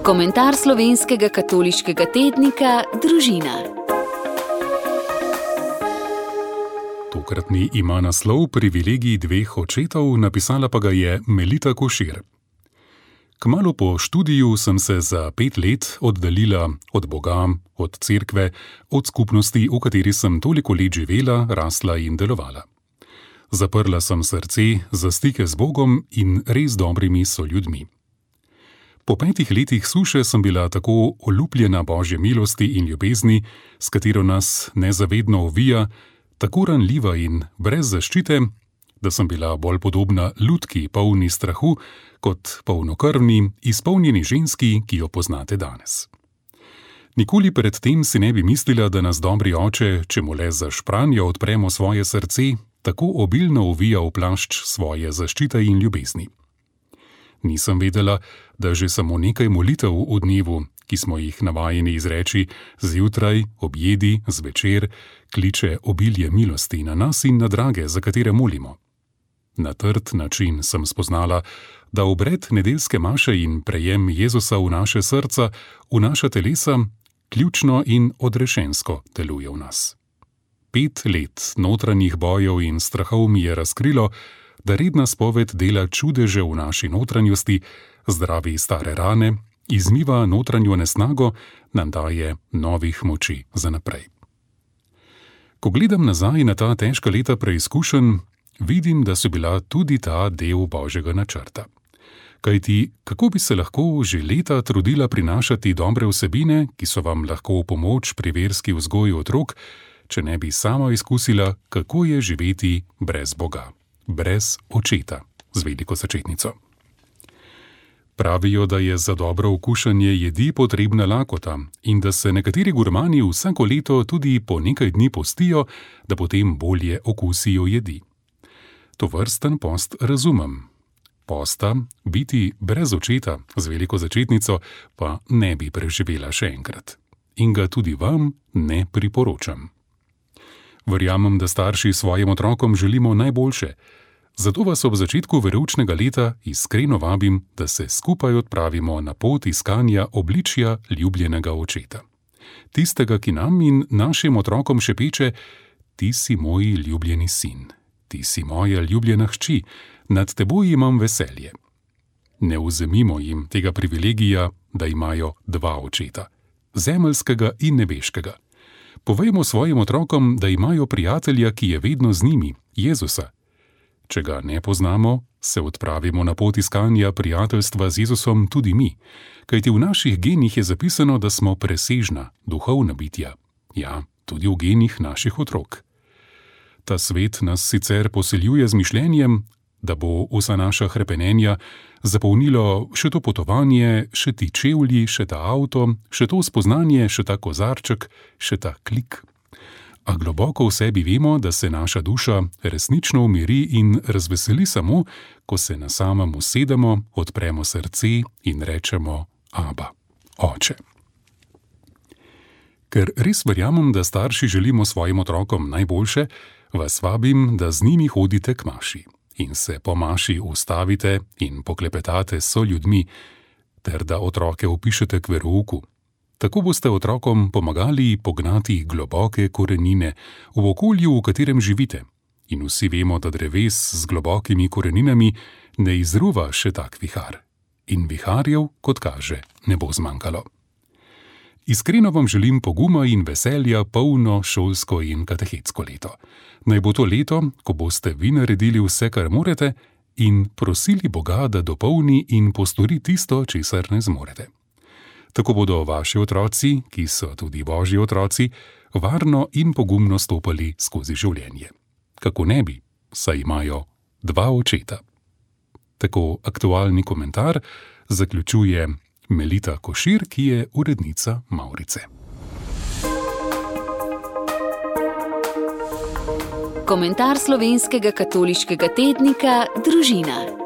Komentar slovenskega katoliškega tednika Družina. Tokratni ima naslov Privilegij dveh očetov, napisala pa ga je Melita Košir. Kmalu po študiju sem se za 5 let oddaljila od Boga, od cerkve, od skupnosti, v kateri sem toliko let živela, rasla in delovala. Zaprla sem srce za stike z Bogom in res dobrimi soljudmi. Po 5 letih suše sem bila tako olupljena Božje milosti in ljubezni, s katero nas nezavedno ovija, tako ranljiva in brez zaščite, da sem bila bolj podobna lutki, polni strahu, kot polnokrvni, izpolnjeni ženski, ki jo poznate danes. Nikoli pred tem si ne bi mislila, da nas dobri oče, če mu le za špranjo odpremo svoje srce, tako obilno ovija v plašč svoje zaščite in ljubezni. Nisem vedela, da že samo nekaj molitev v dnevu, ki smo jih navajeni izreči zjutraj, objedi, zvečer, kliče obilje milosti na nas in na drage, za katere molimo. Na trd način sem spoznala, da obred nedeljske maše in prejem Jezusa v naše srca, v naša telesa, ključno in odrešensko deluje v nas. 5 let notranjih bojev in strahov mi je razkrilo, da redna spoved dela čudeže v naši notranjosti, zdravi stare rane, izmiva notranjo nesnago, nam daje novih moči za naprej. Ko gledam nazaj na ta težka leta preizkušenj, vidim, da so bila tudi ta del Božjega načrta. Kajti, kako bi se lahko že leta trudila prinašati dobre vsebine, ki so vam lahko v pomoč pri verski vzgoji otrok, če ne bi sama izkusila, kako je živeti brez Boga, brez očeta, z veliko začetnico. Pravijo, da je za dobro okušanje jedi potrebna lakota in da se nekateri gurmani vsako leto tudi po nekaj dni postijo, da potem bolje okusijo jedi. Tovrsten post razumem. Posta, biti brez očeta, z veliko začetnico, pa ne bi preživela še enkrat. In ga tudi vam ne priporočam. Verjamem, da starši svojim otrokom želimo najboljše, zato vas ob začetku veroučnega leta iskreno vabim, da se skupaj odpravimo na pot iskanja obličja ljubljenega očeta. Tistega, ki nam in našim otrokom šepeče: ti si moj ljubljeni sin, ti si moja ljubljena hči, nad teboj imam veselje. Ne vzemimo jim tega privilegija, da imajo 2 očeta, zemeljskega in nebeškega. Povejmo svojim otrokom, da imajo prijatelja, ki je vedno z njimi, Jezusa. Če ga ne poznamo, se odpravimo na pot iskanja prijateljstva z Jezusom tudi mi, kajti v naših genih je zapisano, da smo presežna, duhovna bitja. Ja, tudi v genih naših otrok. Ta svet nas sicer posiljuje z mišljenjem, da bo vsa naša hrepenenja zapolnilo še to potovanje, še ti čevlji, še ta avto, še to spoznanje, še ta kozarček, še ta klik. A globoko v sebi vemo, da se naša duša resnično umiri in razveseli samo, ko se na samem usedemo, odpremo srce in rečemo: Aba, oče. Ker res verjamem, da starši želimo svojim otrokom najboljše, vas vabim, da z njimi hodite k maši in se po maši ustavite in poklepetate s soljudmi, ter da otroke vpišete k verouku. Tako boste otrokom pomagali pognati globoke korenine v okolju, v katerem živite. In vsi vemo, da dreves z globokimi koreninami ne izruva še tak vihar. In viharjev, kot kaže, ne bo zmanjkalo. Iskreno vam želim poguma in veselja polno šolsko in katehetsko leto. Naj bo to leto, ko boste vi naredili vse, kar morete, in prosili Boga, da dopolni in postori tisto, česar ne zmorete. Tako bodo vaši otroci, ki so tudi Božji otroci, varno in pogumno stopali skozi življenje. Kako ne bi, saj imajo 2 očeta. Tako aktualni komentar zaključuje Melita Košir, ki je urednica Mavrice. Komentar slovenskega katoliškega tednika Družina.